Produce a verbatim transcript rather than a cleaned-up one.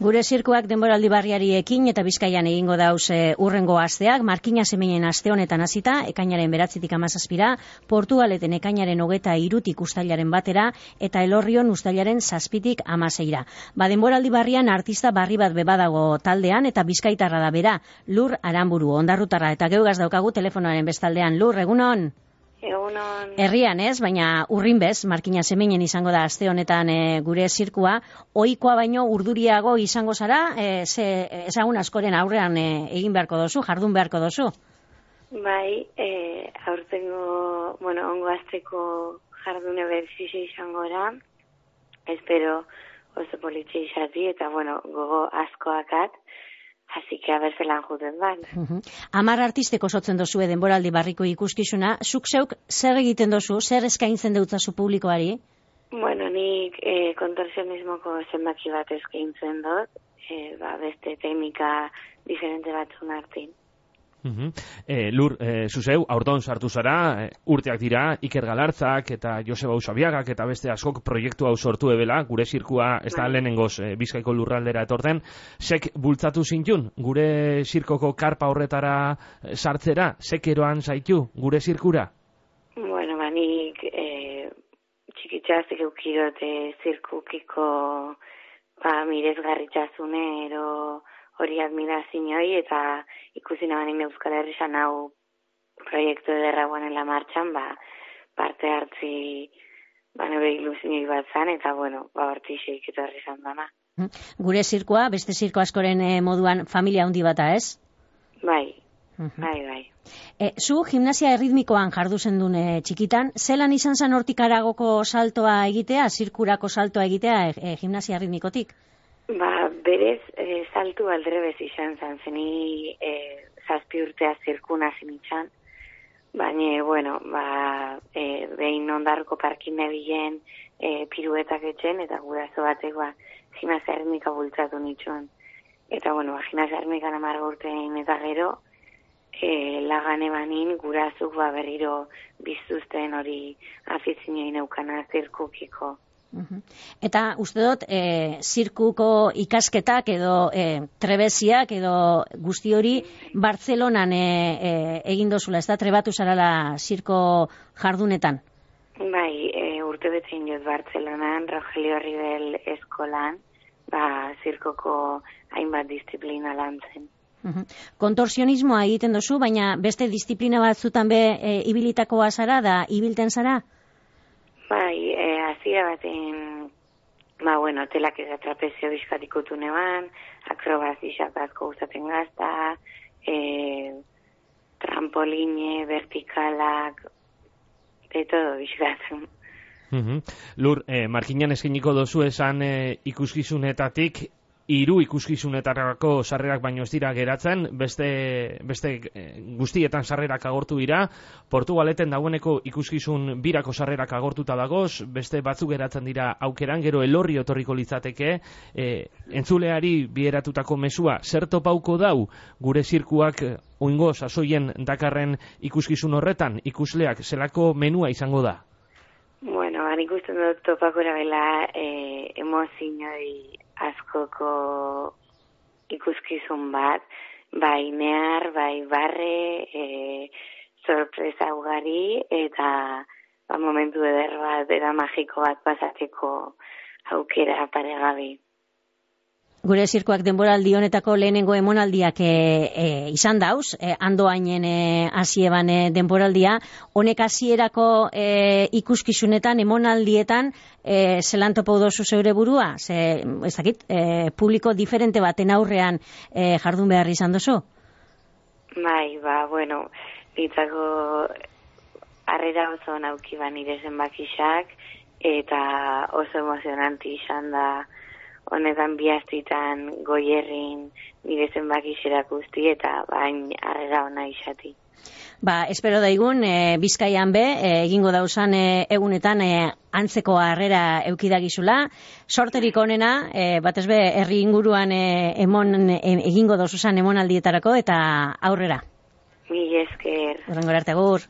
Gure zirkuak denboraldi barriari ekin eta Bizkaian egingo dauz e, urrengo asteak, Markina Seminen aste honetan hasita, ekainaren beratzitik hamazazpira, Portugaleten ekainaren hogeta irutik ustailaren batera, eta Elorrion ustailaren zazpitik hamaseira. Ba, denboraldi barrian artista barri bat bebadago taldean, eta bizkaitarra da bera, Lur Aranburu, ondarrutarra, eta geugaz daukagu telefonoaren bestaldean. Lur, egunon? Egunon. Herrian ez, baina urrin bez, Markina Seminen izango da aste honetan e, gure zirkua, ohikoa baino urduriago izango zara, e, ze ezagun askoren aurrean e, egin beharko dozu, jardun beharko dozu? Bai, e, aurtengo, bueno, ongo azteko jardune berzize izango da, espero oso politxe izati, eta bueno, gogo askoakat, Así que a ver zelan juten bat. Uh-huh. Amar artisteko sotzen dozu denboraldi barriko ikuskizuna, zuk zeuk zer egiten dozu, zer eskaintzen deutzazu publikoari? Bueno, nik eh, kontorsionismoko zenbaki bat eskaintzen dut, eh, ba, beste teknika diferente batzun artin. Uh-huh. eh, Lur, eh, zuzeu, aurton sartu zara, eh, urteak dira, Iker Galartzak eta Joseba Usabiagak eta beste askok proiektu hau sortu ebela, gure zirkua ez da lehenengoz eh, Bizkaiko lurraldera etorten, sek bultzatu zintun, gure zirkoko karpa horretara eh, sartzera, sek eroan zaitu, gure zirkura? Bueno, ba, nik eh, txikitzazik eukirote zirkukiko ba, mirezgarritxasune ero hori admirazioi eta ikusi nabanin Euskal Herrian hau proiektu ederra guanela martxan, ba, parte hartzi ba, nire ilusioi bat zan, eta bueno, ba, hortixeik eta horri zan dana. Gure zirkoa, beste zirko askoren eh, moduan familia handi bata, ez? Bai, uh-huh. bai, bai. E, zu gimnasia erritmikoan jardu zendun e, txikitan, zelan izan zan hortik aragoko saltoa egitea, zirkurako saltoa egitea e, e, gimnasia erritmikotik? Ba, berez, e, saltu aldrebez izan zan, zeni e, zazpi urtea zirkuna zinitxan, baina, bueno, ba, e, behin ondarroko parkin nebilen e, piruetak etxen, eta guraso batek, ba, gimnasia erritmika bultzatu nitxuan. Eta, bueno, ba, gimnasia erritmikan amarga urtein eta gero, e, lagan ebanin gurasuk ba, berriro biztuzten hori afizioin eukana zirkukiko. Uh-huh. Eta uste dut, e, zirkuko ikasketak edo e, trebeziak edo guzti hori Bartzelonan e, e, egin dozula, ez da trebatu zarala zirko jardunetan? Bai, e, urte betzen jot Bartzelonan, Rogelio Ribel eskolan, ba, zirkoko hainbat disiplina lantzen. Uh-huh. Kontorsionismoa egiten dozu, baina beste disiplina batzutan be e, ibilitakoa zara da ibilten zara? Bai, e, azira baten, ba, bueno, telak eza trapezio bizkatikutu neban, akrobazizak asko usaten gazta, e, trampoline, vertikalak, de todo bizkatzen. Uh-huh. Lur, eh, Markinan eskeniko dozu esan eh, ikuskizunetatik, hiru ikuskizunetarako sarrerak baino ez dira geratzen, beste, beste eh, guztietan sarrerak agortu dira, Portugaleten dagoeneko ikuskizun birako sarrerak agortuta dagoz, beste batzuk geratzen dira aukeran, gero Elorri otorriko litzateke, eh, entzuleari bieratutako mesua, zer topauko dau gure zirkuak eh, oingo sasoien dakarren ikuskizun horretan, ikusleak zelako menua izango da? Bueno, han ikusten dut topako erabela eh, emozioi askoko ikuskizun bat, bai nehar, bai barre, e, sorpresa ugari, eta ba, momentu eder bat, era magiko bat pasateko aukera paregabi. Gure zirkoak denboraldi honetako lehenengo emonaldiak e, e, izan dauz, e, andoainen e, hasieban e, denboraldia, honek hasierako e, ikuskizunetan, emonaldietan, e, zelan topau dozu zeure burua? Ze, ez dakit, e, publiko diferente baten aurrean e, jardun behar izan dozu? Bai, ba, bueno, ditzako harrera oso nauki ba nire zenbakixak, eta oso emozionanti izan da honetan bihaztitan goierrin nire zenbakixerak guzti eta bain harrera ona izati. Ba, espero daigun, e, Bizkaian be, e, egingo dauzan e, egunetan e, antzeko harrera eukidagizula. Sorterik onena, e, batez be, herri inguruan e, emon, e, egingo dauzuzan emonaldietarako eta aurrera. Mil esker. Horrengora arte, agur.